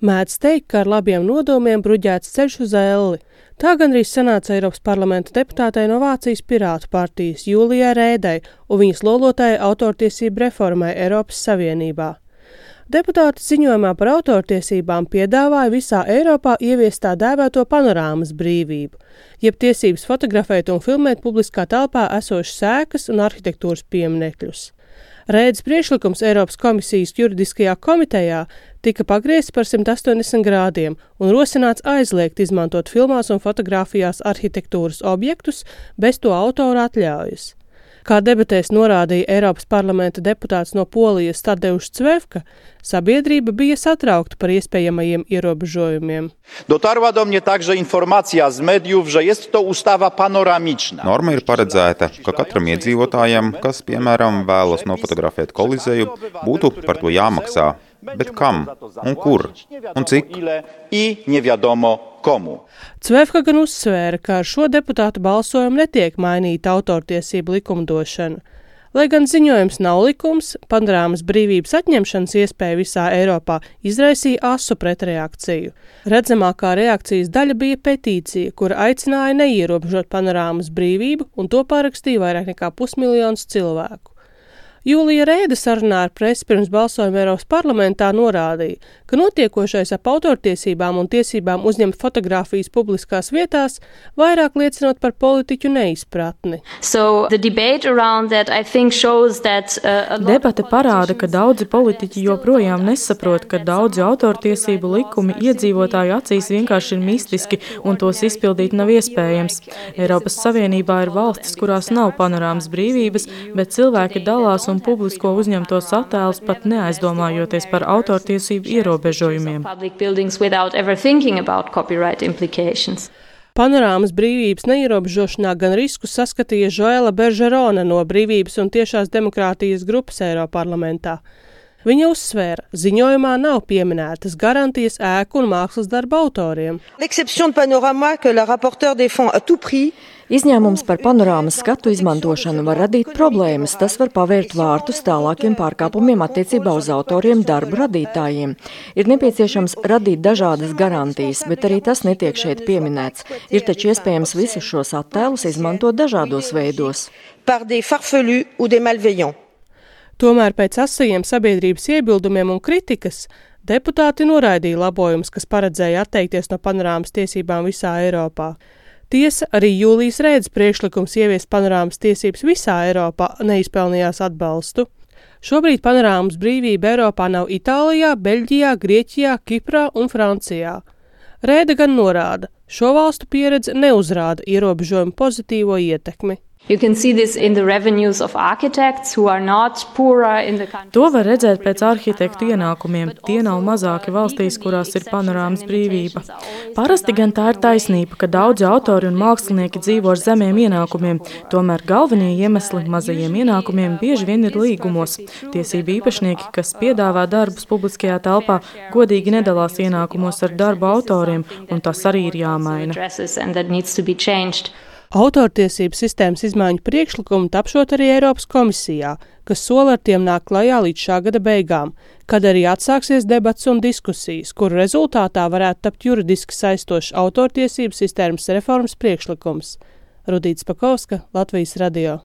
Mēdz teikt, ka ar labiem nodomiem bruģēts ceļš uz elli. Tā gandrīz sanāca Eiropas parlamenta deputātei no Vācijas Pirātu partijas Jūlijai Rēdai un viņas lolotāja autortiesību reformai Eiropas Savienībā. Deputāti ziņojumā par autortiesībām piedāvāja visā Eiropā ieviest tā dēvēto panorāmas brīvību, jeb tiesības fotografēt un filmēt publiskā telpā esošas ēkas un arhitektūras pieminekļus. Rēdas priekšlikums Eiropas komisijas juridiskajā komitejā tika pagriezts par 180 grādiem un rosināts aizliegt izmantot filmās un fotografijās arhitektūras objektus bez to autora atļaujas. Kā debatēs norādīja Eiropas parlamenta deputāts no Polijas Tadeusz Cwefka, sabiedrība bija satraukta par iespējamajiem ierobežojumiem. Dotarła do mnie także informacja z mediów, że jest to ustawa panoramiczna. Norma ir paredzēta, ka katram iedzīvotājam, kas, piemēram, vēlas nofotografēt Kolizēju, būtu par to jāmaksā. Bet kam? Un kur? Un cik? I nie wiadomo komu. Cwefka gan uzsvēra, ka ar šo deputātu balsojumu netiek mainīta autortiesību likumdošana. Lai gan ziņojums nav likums, panorāmas brīvības atņemšanas iespēja visā Eiropā izraisīja asu pretreakciju. Redzamākā reakcijas daļa bija petīcija, kura aicināja neierobežot panorāmas brīvību, un to parakstīja vairāk nekā 500 000 cilvēku. Jūlija Rēda sarunā ar presi pirms balsojuma Eiropas parlamentā norādīja, ka notiekošais ap autortiesībām un tiesībām uzņemt fotogrāfijas publiskās vietās vairāk liecinot par politiķu neizpratni. Debate parāda, ka daudzi politiķi joprojām nesaprot, ka daudzi autortiesību likumi iedzīvotāju acīs vienkārši ir mistiski un tos izpildīt nav iespējams. Eiropas Savienībā ir valstis, kurās nav panorāmas brīvības, bet cilvēki dalās un publisko uzņemtos attēlus pat neaizdomājoties par autortiesību ierobežojumiem. Panorāmas brīvības neierobežošanā gan riskus saskatīja Joela Bergerone no Brīvības un tiešās demokrātijas grupas Eiroparlamentā. Viņa uzsvēra, ziņojumā nav pieminētas garantijas ēku un mākslas darba autoriem. Izņēmums par panorāmas skatu izmantošanu var radīt problēmas, tas var pavērt vārtus tālākiem pārkāpumiem attiecībā uz autoriem darbu radītājiem. Ir nepieciešams radīt dažādas garantijas, bet arī tas netiek šeit pieminēts. Ir taču iespējams visus šos attēlus izmantot dažādos veidos. Tomēr pēc asajiem sabiedrības iebildumiem un kritikas deputāti noraidīja labojumus, kas paredzēja atteikties no panorāmas tiesībām visā Eiropā. Tiesa, arī Jūlijas Rēdas priekšlikums ieviest panorāmas tiesības visā Eiropā neizpelnījās atbalstu. Šobrīd panorāmas brīvība Eiropā nav Itālijā, Beļģijā, Grieķijā, Kiprā un Francijā. Rēda gan norāda, šo valstu pieredze neuzrāda ierobežojumu pozitīvo ietekmi. To var redzēt pēc arhitektu ienākumiem. Tie nav mazāki valstīs, kurās ir panorāmas brīvība. Parasti gan tā ir taisnība, ka daudzi autori un mākslinieki dzīvo ar zemiem ienākumiem. Tomēr galvenie iemesli mazajiem ienākumiem bieži vien ir līgumos. Tiesību īpašnieki, kas piedāvā darbus publiskajā telpā, godīgi nedalās ienākumos ar darbu autoriem, un tas arī ir jāmaina. Autortiesību sistēmas izmaiņu priekšlikumu tapšot arī Eiropas komisijā, kas sola ar tiem nāk klajā līdz šā gada beigām, kad arī atsāksies debats un diskusijas, kuru rezultātā varētu tapt juridiski saistošs autortiesību sistēmas reformas priekšlikums. Rudīta Spakovska, Latvijas radio.